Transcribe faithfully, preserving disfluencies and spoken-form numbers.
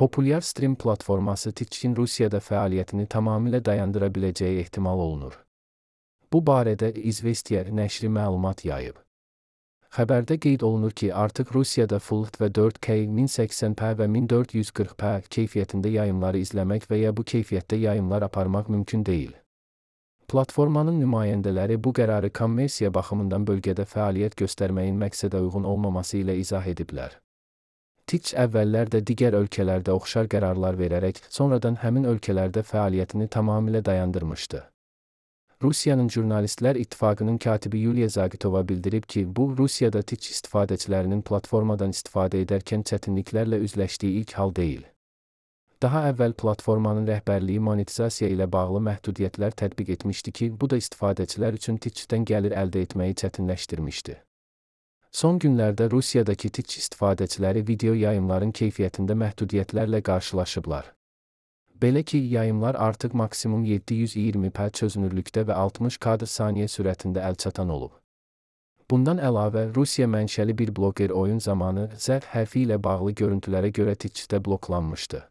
Populyar stream platforması Twitch-in Rusiyada fəaliyyətini tamamilə dayandıra biləcəyi ehtimal olunur. Bu barədə Izvestiya nəşri məlumat yayıb. Xəbərdə qeyd olunur ki, artıq Rusiyada Full H D və dörd K min səksən p və min dörd yüz qırx p keyfiyyətində yayımları izləmək və ya bu keyfiyyətdə yayımlar aparmaq mümkün deyil. Platformanın nümayəndələri bu qərarı kommersiya baxımından bölgədə fəaliyyət göstərməyin məqsədə uyğun olmaması ilə izah ediblər. Twitch əvvəllər də digər ölkələrdə oxşar qərarlar verərək, sonradan həmin ölkələrdə fəaliyyətini tamamilə dayandırmışdı. Rusiyanın Jurnalistlər İttifaqının katibi Yuliya Zagitova bildirib ki, bu, Rusiyada Twitch istifadəçilərinin platformadan istifadə edərkən çətinliklərlə üzləşdiyi ilk hal deyil. Daha əvvəl platformanın rəhbərliyi monetizasiya ilə bağlı məhdudiyyətlər tətbiq etmişdi ki, bu da istifadəçilər üçün Twitch-dən gəlir əldə etməyi çətinləşdirmişdi. Son günlərdə Rusiyadakı Twitch istifadəçiləri video yayımların keyfiyyətində məhdudiyyətlərlə qarşılaşıblar. Belə ki, yayımlar artıq maksimum yeddi yüz iyirmi p çözünürlükdə və altmış kadr saniyə sürətində əlçatan olub. Bundan əlavə, Rusiya mənşəli bir bloger oyun zamanı Z hərfi ilə bağlı görüntülərə görə Twitch-də bloklanmışdı.